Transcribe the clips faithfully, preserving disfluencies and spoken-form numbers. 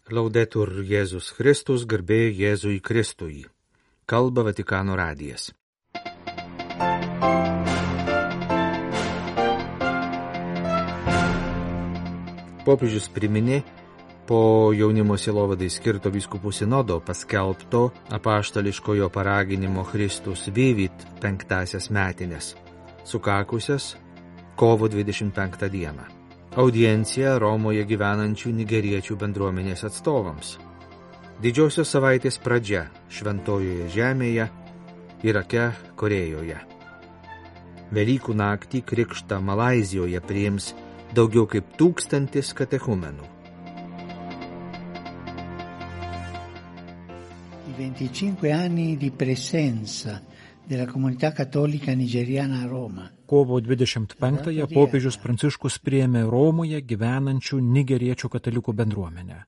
Laudetur Jėzus Kristus, garbė Jėzui Kristui. Kalba Vatikano radijas. Popiežius priminė po jaunimo sielovadai skirto vyskupų sinodo paskelbto apaštališkojo paraginimo Christus Vivit penktasias metinės, sukakusias kovo dvidešimt penktą dieną. Audiencija Romoje gyvenančių nigeriečių bendruomenės atstovams. Didžiosios savaitės pradžia Šventojoje žemėje, Irake, Korėjoje. Velykų naktį krikštą Malaizijoje priims daugiau kaip tūkstantis katechumenų. I venticinque anni di presenza della comunità cattolica nigeriana a Roma. Kovo dvidešimt penktąją popiežius Pranciškus priėmė Romoje gyvenančių nigeriečių katalikų bendruomenę.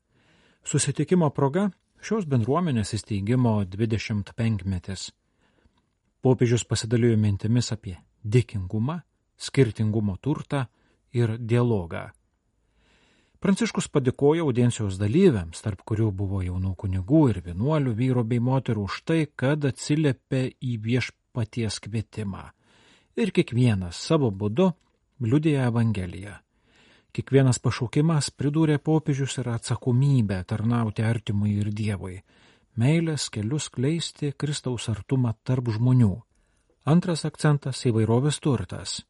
Susitikimo proga šios bendruomenės įsteigimo dvidešimt penkmetis. Popiežius pasidalijo mintimis apie dėkingumą, skirtingumo turtą ir dialogą. Pranciškus padėkojo audiencijos dalyviams, tarp kurių buvo jaunų kunigų ir vienuolių, vyrų bei moterų, už tai, kad atsiliepė į viešpaties kvietimą. Ir kiekvienas savo būdu liudija Evangeliją. Kiekvienas pašaukimas, pridūrė popiežius, yra atsakomybė tarnauti artimui ir Dievui, meilės kelius skleisti Kristaus artumą tarp žmonių. Antras akcentas – įvairovės turtas.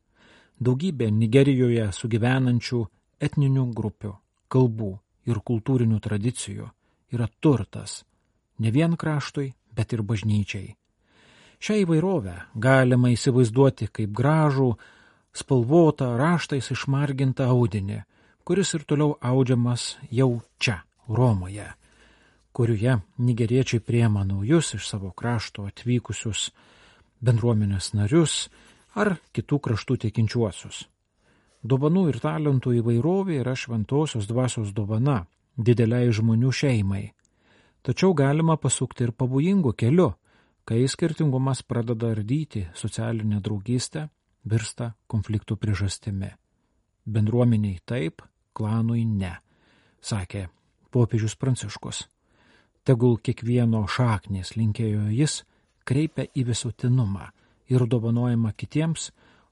Daugybė Nigerijoje sugyvenančių etninių grupių, kalbų ir kultūrinių tradicijų yra turtas ne vien kraštui, bet ir bažnyčiai. Šią įvairovę galima įsivaizduoti kaip gražų, spalvotą, raštais išmargintą audinį, kuris ir toliau audžiamas jau čia, Romoje, kurioje nigeriečiai priema naujus iš savo krašto atvykusius bendruomenės narius ar kitų kraštų tikinčiuosius. Dovanų ir talentų įvairovė yra šventosios dvasios dovana dideliai žmonių šeimai. Tačiau galima pasukti ir pavojingų keliu, kai skirtingumas pradeda ardyti socialinę draugystę, virsta konfliktų priežastimi. Bendruomeniai taip, klanui ne, sakė popiežius Pranciškus. Tegul kiekvieno šaknės, linkėjo jis, kreipia į visuotinumą ir dovanojimą kitiems,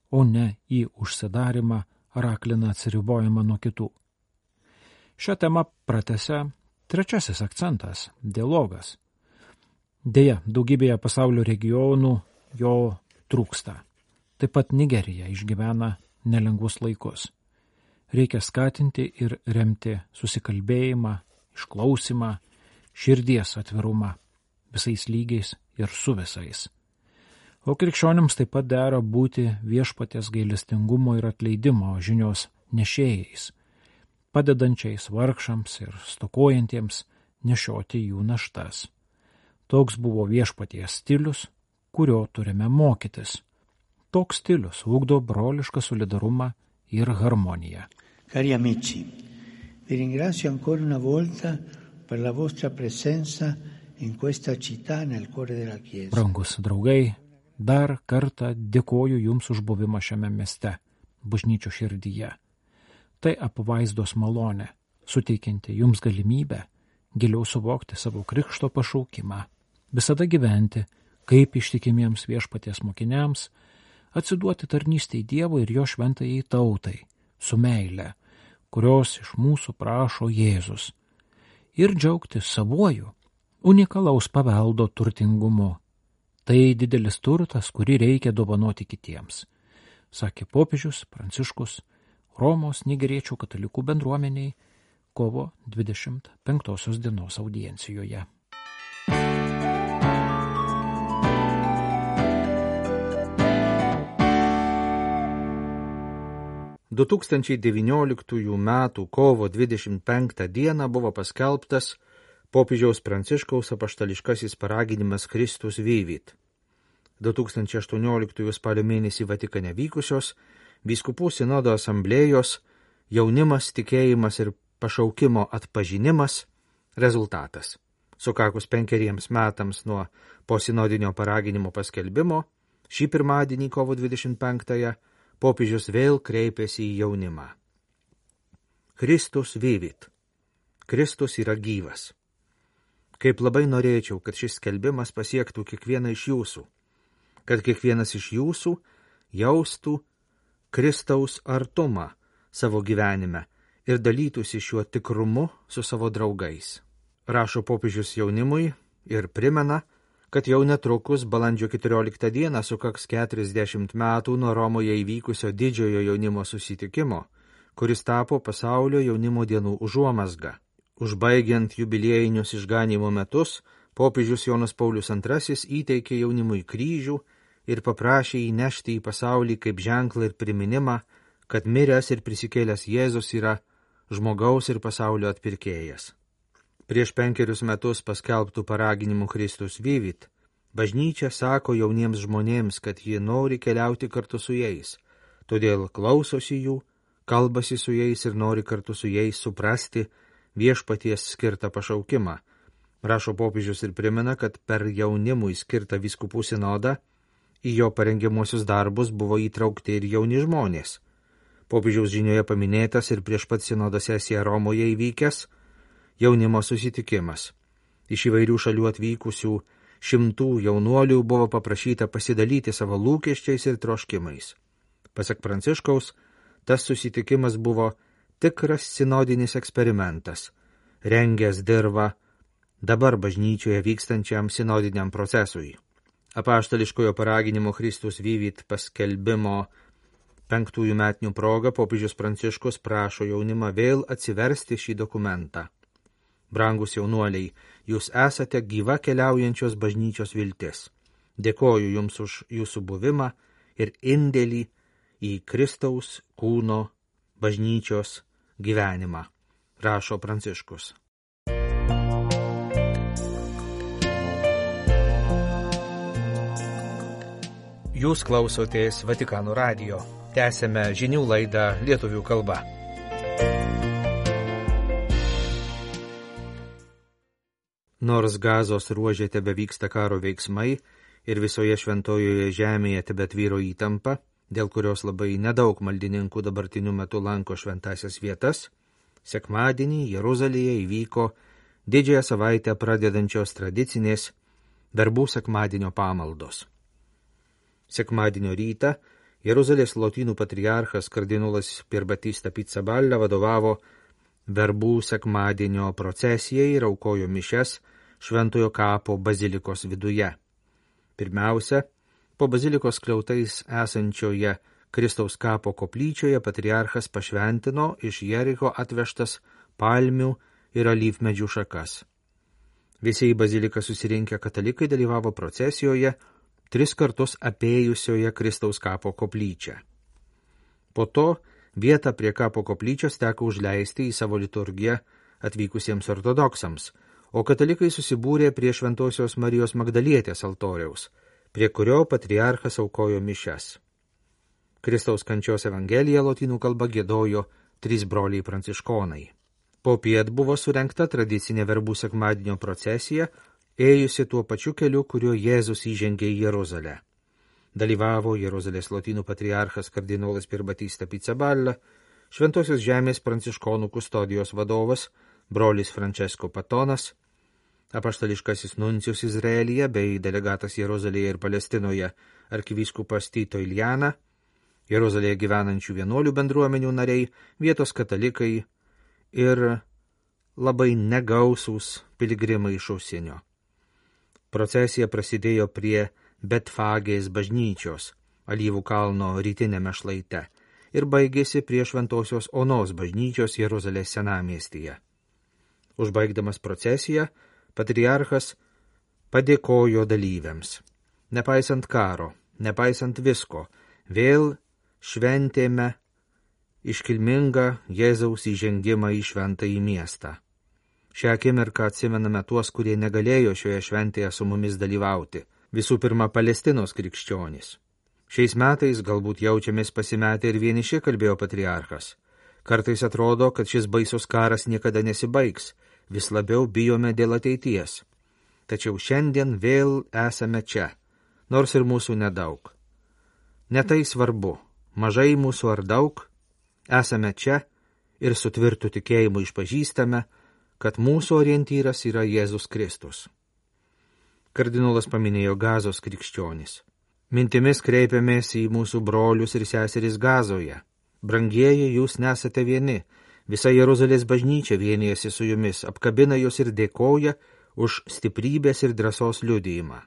o ne į užsidarimą ar aklina atsiribojimą nuo kitų. Šią temą pratęsia trečiasis akcentas – dialogas. Deja, daugybėje pasaulio regionų jo trūksta. Taip pat Nigerija išgyvena nelengvus laikus. Reikia skatinti ir remti susikalbėjimą, išklausimą, širdies atvirumą visais lygiais ir su visais. O krikščionims taip pat dera būti viešpaties gailestingumo ir atleidimo žinios nešėjais, padedančiais vargšams ir stokojantiems nešioti jų naštas. Toks buvo viešpaties stilius, kurio turime mokytis. Toks stilius ugdo brolišką solidarumą ir harmoniją. Cari amici, vi ringrazio ancora una volta per la vostra presenza in questa città nel cuore della Chiesa. Brangus draugai, dar kartą dėkoju Jums už buvimą šiame mieste, bažnyčios širdyje. Tai apvaizdos malonė, suteikianti Jums galimybę giliau suvokti savo krikšto pašaukimą, visada gyventi kaip ištikimiems viešpaties mokiniams, atsiduoti tarnystei Dievui ir jo šventajai tautai, su meile, kurios iš mūsų prašo Jėzus, ir džiaugtis savuoju, unikalaus paveldo turtingumu. Tai didelis turtas, kurį reikia dovanoti kitiems, sakė popiežius Pranciškus Romos nigeriečių katalikų bendruomeniai kovo dvidešimt penktosios dienos audiencijoje. du tūkstančiai devynioliktųjų metų kovo dvidešimt penktą dieną buvo paskelbtas popiežiaus Pranciškaus apaštališkasis paraginimas Christus Vivit. du tūkstančiai aštuonioliktųjų spalio mėnesį Vatikane vykusios vyskupų sinodo asamblėjos jaunimas, tikėjimas ir pašaukimo atpažinimas rezultatas. Sukakus penkeriems metams nuo posinodinio paraginimo paskelbimo, šį pirmadienį kovo dvidešimt penktąją popiežius vėl kreipėsi į jaunimą. Christus Vivit. Kristus yra gyvas. Kaip labai norėčiau, kad šis skelbimas pasiektų kiekvieną iš jūsų, kad kiekvienas iš jūsų jaustų Kristaus artumą savo gyvenime ir dalytųsi šiuo tikrumu su savo draugais. Rašo popiežius jaunimui ir primena, kad jau netrukus balandžio keturioliktą dieną sukaks keturiasdešimt metų nuo Romoje įvykusio didžiojo jaunimo susitikimo, kuris tapo pasaulio jaunimo dienų užuomazga. Užbaigiant jubiliejinius išganymo metus, popiežius Jonas Paulius antrasis įteikė jaunimui kryžių ir paprašė įnešti į pasaulį kaip ženklą ir priminimą, kad miręs ir prisikėlęs Jėzus yra žmogaus ir pasaulio atpirkėjas. Prieš penkerius metus paskelbtų paraginimų Kristus Vivit, bažnyčia sako jauniems žmonėms, kad ji nori keliauti kartu su jais, todėl klausosi jų, kalbasi su jais ir nori kartu su jais suprasti viešpaties skirtą pašaukimą. Rašo popiežius ir primena, kad per jaunimui skirtą vyskupų sinodą į jo parengiamuosius darbus buvo įtraukti ir jauni žmonės. Popiežiaus žinioje paminėtas ir prieš pat sinodo sesiją Romoje įvykęs jaunimo susitikimas. Iš įvairių šalių atvykusių šimtų jaunuolių buvo paprašyta pasidalyti savo lūkesčiais ir troškimais. Pasak Pranciškaus, tas susitikimas buvo tikras sinodinis eksperimentas, rengęs dirvą dabar bažnyčioje vykstančiam sinodiniam procesui. Apaštališkojo paraginimo Kristus Vivit paskelbimo penktųjų metinių proga popiežius Pranciškus prašo jaunimą vėl atsiversti šį dokumentą. Brangus jaunuoliai, jūs esate gyva keliaujančios bažnyčios viltis. Dėkoju jums už jūsų buvimą ir indėlį į Kristaus kūno bažnyčios gyvenimą, rašo Pranciškus. Jūs klausotės Vatikano radijo. Tęsėme žinių laidą lietuvių kalba. Nors Gazos ruože tebevyksta karo veiksmai ir visoje šventojoje žemėje tebetvyro įtampa, dėl kurios labai nedaug maldininkų dabartiniu metu lanko šventasias vietas, sekmadienį Jeruzalėje įvyko didžiąją savaitę pradedančios tradicinės verbų sekmadienio pamaldos. Sekmadienio rytą Jeruzalės lotynų patriarchas kardinolas Pierbatista Pizzaballa vadovavo verbų sekmadienio procesijai ir aukojo mišias Šventojo kapo bazilikos viduje. Pirmiausia, po bazilikos skliautais esančioje Kristaus kapo koplyčioje patriarchas pašventino iš Jericho atvežtas palmių ir alyvmedžių šakas. Visi į baziliką susirinkę katalikai dalyvavo procesijoje, tris kartus apėjusioje Kristaus kapo koplyčią. Po to vietą prie kapo koplyčios teko užleisti į savo liturgiją atvykusiems ortodoksams, o katalikai susibūrė prie Šventosios Marijos Magdalietės altoriaus, prie kurio patriarchas aukojo mišias. Kristaus kančios evangeliją lotynų kalba giedojo trys broliai pranciškonai. Popiet buvo surengta tradicinė verbų sekmadienio procesija, ėjusi tuo pačiu keliu, kuriuo Jėzus įžengė į Jeruzalę. Dalyvavo Jeruzalės lotynų patriarchas kardinolas Pierbatista Pizzaballa, Šventosios žemės pranciškonų kustodijos vadovas brolis Francesco Patonas, apaštališkasis nuncijus Izraelyje bei delegatas Jeruzalėje ir Palestinoje arkivyskupas Tito Iljana, Jeruzalėje gyvenančių vienuolių bendruomenių nariai, vietos katalikai ir labai negausūs piligrimai iš užsienio. Procesija prasidėjo prie Betfagės bažnyčios, Alyvų kalno rytinėme šlaite, ir baigėsi prie Šventosios Onos bažnyčios Jeruzalės senamiestyje. Užbaigdamas procesiją, patriarchas padėkojo dalyviams. Nepaisant karo, nepaisant visko, vėl šventėme iškilmingą Jėzaus įžengimą į šventąjį miestą. Šią akimirką atsimename tuos, kurie negalėjo šioje šventėje su mumis dalyvauti. Visų pirma, Palestinos krikščionys. Šiais metais galbūt jaučiamės pasimetę ir vieniši, kalbėjo patriarchas. Kartais atrodo, kad šis baisus karas niekada nesibaigs, vis labiau bijome dėl ateities. Tačiau šiandien vėl esame čia, nors ir mūsų nedaug. Netai svarbu, mažai mūsų ar daug, esame čia ir su tvirtu tikėjimu išpažįstame, kad mūsų orientyras yra Jėzus Kristus. Kardinolas paminėjo Gazos krikščionis. Mintimis kreipiamės į mūsų brolius ir seseris Gazoje. Brangieji, jūs nesate vieni. Visa Jeruzalės bažnyčia vienijasi su jumis, apkabina jūs ir dėkoja už stiprybės ir drąsos liudijimą.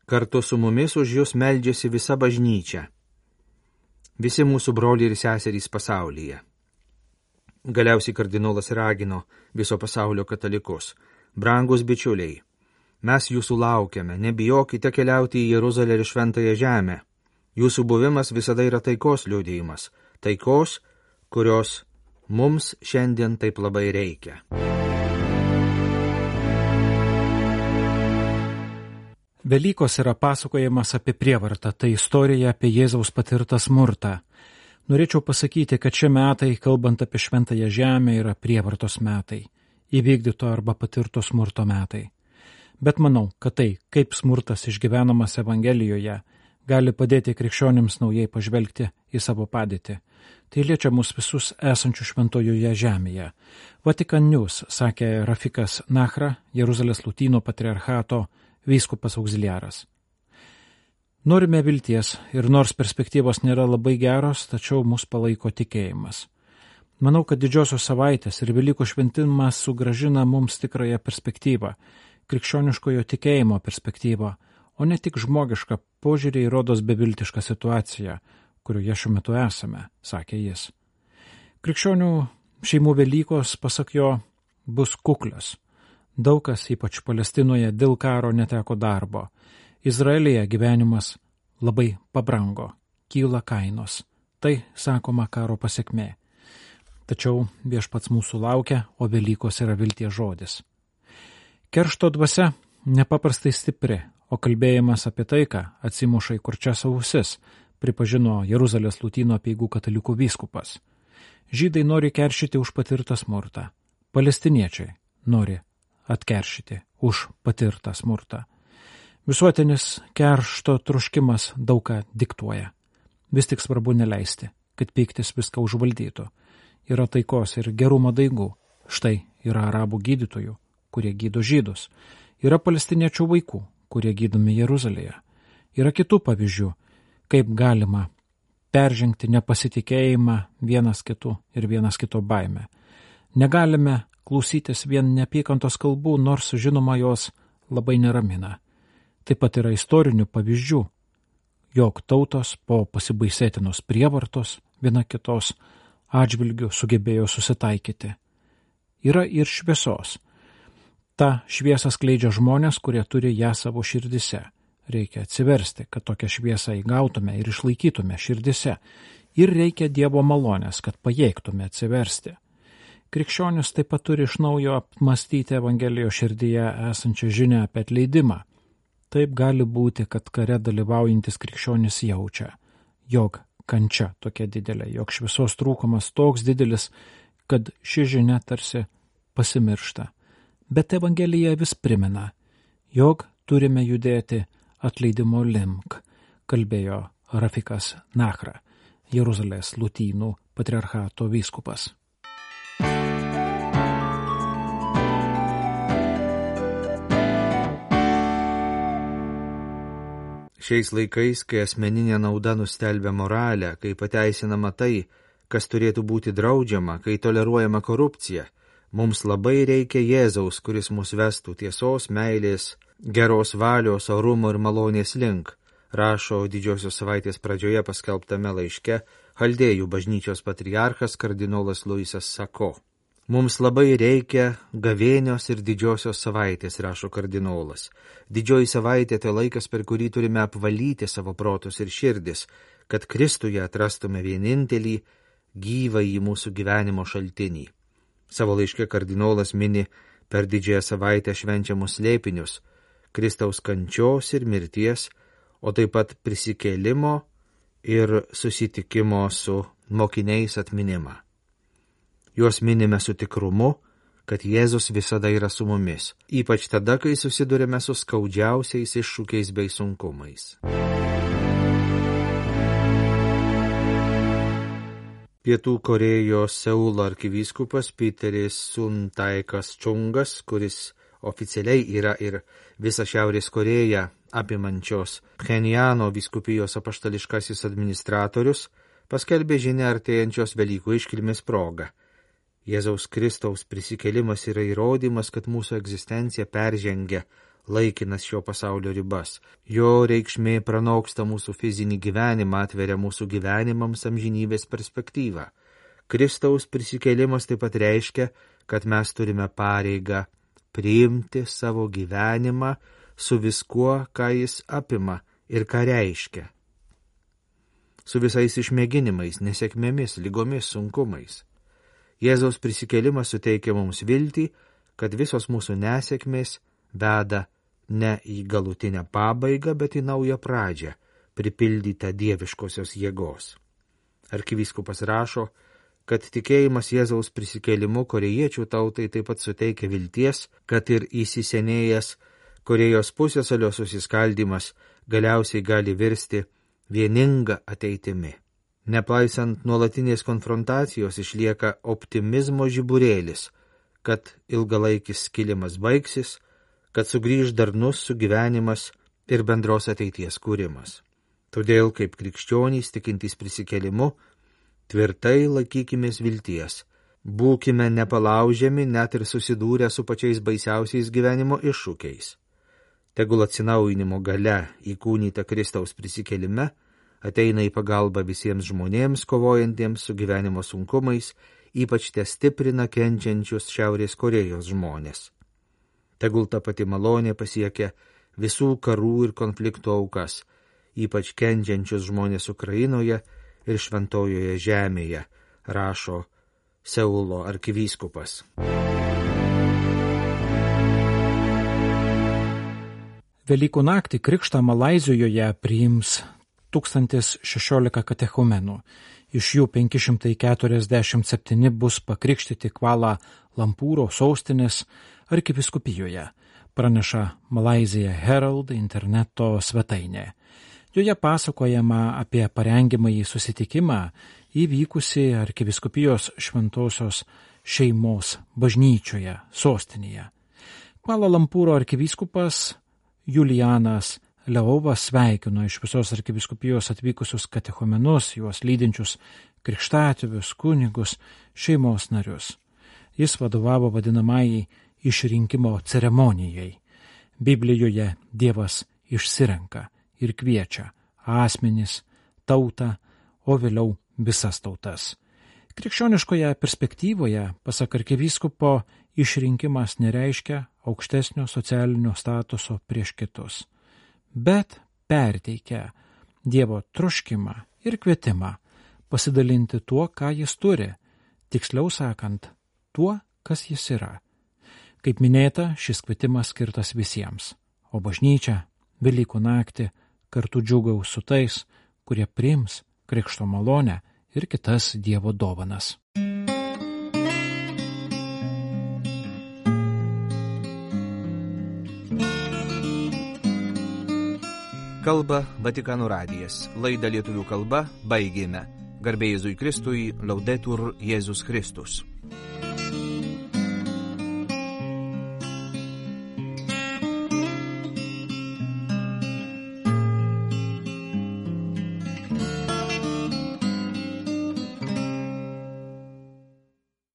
Kartu su mumis už jūs meldžiasi visa bažnyčia. Visi mūsų broliai ir seserys pasaulyje. Galiausiai kardinolas ragino viso pasaulio katalikus. Brangus bičiuliai, mes jūsų laukiame, nebijokite keliauti į Jeruzalę ir šventąją žemę. Jūsų buvimas visada yra taikos liudijimas, taikos, kurios mums šiandien taip labai reikia. Velykos yra pasakojimas apie prievartą, tai istorija apie Jėzaus patirtą smurtą. Norėčiau pasakyti, kad šie metai, kalbant apie šventąją žemę, yra prievartos metai, įvykdyto arba patirto smurto metai. Bet manau, kad tai, kaip smurtas išgyvenamas Evangelijoje, gali padėti krikščionims naujai pažvelgti į savo padėtį. Tai liečia mus visus esančių šventojoje žemėje. Vatikan News, sakė Rafikas Nachra, Jeruzalės Lutyno patriarchato vyskupas auxiliaras. Norime vilties ir nors perspektyvos nėra labai geros, tačiau mus palaiko tikėjimas. Manau, kad didžiosios savaitės ir Velykų šventimas sugrąžina mums tikrąją perspektyvą, krikščioniškojo tikėjimo perspektyvą, o ne tik žmogišką požiūrį į rodos beviltišką situaciją, kurioje šiuo metu esame, sakė jis. Krikščionių šeimų Velykos, pasak jo, bus kuklios. Daug kas, ypač Palestinoje, dėl karo neteko darbo. Izraelyje gyvenimas labai pabrango, kyla kainos. Tai, sakoma, karo pasekmė. Tačiau viešpats mūsų laukia, o Velykos yra vilties žodis. Keršto dvasia nepaprastai stipri, o kalbėjimas apie taiką atsimuša į kurčias ausis, pripažino Jeruzalės Lutyno apeigų katalikų vyskupas. Žydai nori keršyti už patirtą smurtą. Palestiniečiai nori atkeršyti už patirtą smurtą. Visuotinis keršto troškimas daug ką diktuoja. Vis tik svarbu neleisti, kad pyktis viską užvaldytų. Yra taikos ir gerumo daigų. Štai yra arabų gydytojų, kurie gydo žydus. Yra palestiniečių vaikų, kurie gydomi Jeruzalėje. Yra kitų pavyzdžių, kaip galima peržengti nepasitikėjimą vienas kitu ir vienas kito baimę. Negalime klausytis vien neapykantos kalbų, nors žinoma jos labai neramina. Taip pat yra istorinių pavyzdžių, jog tautos po pasibaisėtinos prievartos viena kitos atžvilgių sugebėjo susitaikyti. Yra ir šviesos. Ta šviesa skleidžia žmonės, kurie turi ją savo širdise. Reikia atsiversti, kad tokią šviesą įgautume ir išlaikytume širdise. Ir reikia Dievo malonės, kad pajėgtume atsiversti. Krikščionis taip pat turi iš naujo apmastyti Evangelijos širdyje esančią žinią apie atleidimą. Taip gali būti, kad kare dalyvaujantis krikščionis jaučia, jog kančia tokia didelė, jog šviesos trūkumas toks didelis, kad ši žinia tarsi pasimiršta. Bet Evangelija vis primena, jog turime judėti atleidimo link, kalbėjo Rafikas Nachra, Jeruzalės Lutynų patriarchato vyskupas. Šiais laikais, kai asmeninė nauda nustelbia moralę, kai pateisinama tai, kas turėtų būti draudžiama, kai toleruojama korupcija, mums labai reikia Jėzaus, kuris mus vestų tiesos, meilės, geros valios, orumo ir malonės link, rašo didžiosios savaitės pradžioje paskelbtame laiške Chaldėjų bažnyčios patriarchas kardinolas Luisas Sako. Mums labai reikia gavėnios ir didžiosios savaitės, rašo kardinolas. Didžioji savaitė tai laikas, per kurį turime apvalyti savo protus ir širdis, kad Kristuje atrastume vienintelį gyvą į mūsų gyvenimo šaltinį. Savo laiške kardinolas mini per didžiąją savaitę švenčiamus slėpinius, Kristaus kančios ir mirties, o taip pat prisikėlimo ir susitikimo su mokiniais atminimą. Juos minime su tikrumu, kad Jėzus visada yra su mumis, ypač tada, kai susidurime su skaudžiausiais iššūkiais bei sunkumais. Pietų Korėjos Seulo arkivyskupas Piteris Suntaikas Čungas, kuris oficialiai yra ir visą Šiaurės Koreją apimančios Pchenjano vyskupijos apaštališkasis administratorius, paskelbė žinią artėjančios Velykų iškilmės proga. Jėzaus Kristaus prisikėlimas yra įrodymas, kad mūsų egzistencija peržengia laikinas šio pasaulio ribas. Jo reikšmė pranoksta mūsų fizinį gyvenimą, atveria mūsų gyvenimams amžinybės perspektyvą. Kristaus prisikėlimas taip pat reiškia, kad mes turime pareigą priimti savo gyvenimą su viskuo, ką jis apima ir ką reiškia. Su visais išmėginimais, nesėkmėmis, lygomis, sunkumais. Jėzaus prisikėlimas suteikia mums viltį, kad visos mūsų nesėkmės veda ne į galutinę pabaigą, bet į naują pradžią, pripildytą dieviškosios jėgos. Arkivyskupas rašo, kad tikėjimas Jėzaus prisikėlimu korėjiečių tautai taip pat suteikia vilties, kad ir įsisenėjęs Korėjos pusiasalio susiskaldymas galiausiai gali virsti vieninga ateitimi. Nepaisant nuolatinės konfrontacijos išlieka optimizmo žiburėlis, kad ilgalaikis skilimas baigsis, kad sugrįž darnus sugyvenimas ir bendros ateities kūrimas. Todėl, kaip krikščionys tikintys prisikėlimu, tvirtai laikykimės vilties, būkime nepalaužiami net ir susidūrę su pačiais baisiausiais gyvenimo iššūkiais. Tegul atsinaujinimo galia įkūnyta Kristaus prisikėlime ateina į pagalbą visiems žmonėms, kovojantiems su gyvenimo sunkumais, ypač te stiprina kenčiančius Šiaurės Korėjos žmonės. Tegul ta pati malonė pasiekia visų karų ir konfliktų aukas, ypač kenčiančius žmonės Ukrainoje ir Šventojoje žemėje, rašo Seulo arkivyskupas. Velykų naktį krikštą Malaizijoje priims tūkstantis šešiolika katechumenų. Iš jų penki šimtai keturiasdešimt septyni bus pakrikštyti Kvala Lampūro sostinės arkivyskupijoje, praneša Malaysia Herald interneto svetainė. Joje pasakojama apie parengiamąjį susitikimą įvykusi arkivyskupijos šventosios šeimos bažnyčioje sostinėje. Kvala Lampūro arkivyskupas Julianas Leovas sveikino iš visos arkivyskupijos atvykusius katechumenus, juos lydinčius krikštatėvius, kunigus, šeimos narius. Jis vadovavo vadinamai išrinkimo ceremonijai. Biblijoje Dievas išsirenka ir kviečia asmenis, tautą, o vėliau visas tautas. Krikščioniškoje perspektyvoje, pasak arkivyskupo, išrinkimas nereiškia aukštesnio socialinio statuso prieš kitus, bet perteikia Dievo troškimą ir kvietimą pasidalinti tuo, ką jis turi, tiksliau sakant, tuo, kas jis yra. Kaip minėta, šis kvietimas skirtas visiems, o bažnyčia Velykų naktį kartu džiūgaus su tais, kurie priims krikšto malonę ir kitas Dievo dovanas. Kalba Vatikano radijas. Laidą lietuvių kalba baigėme. Garbė Jėzui Kristui, Laudetur Jėzus Kristus.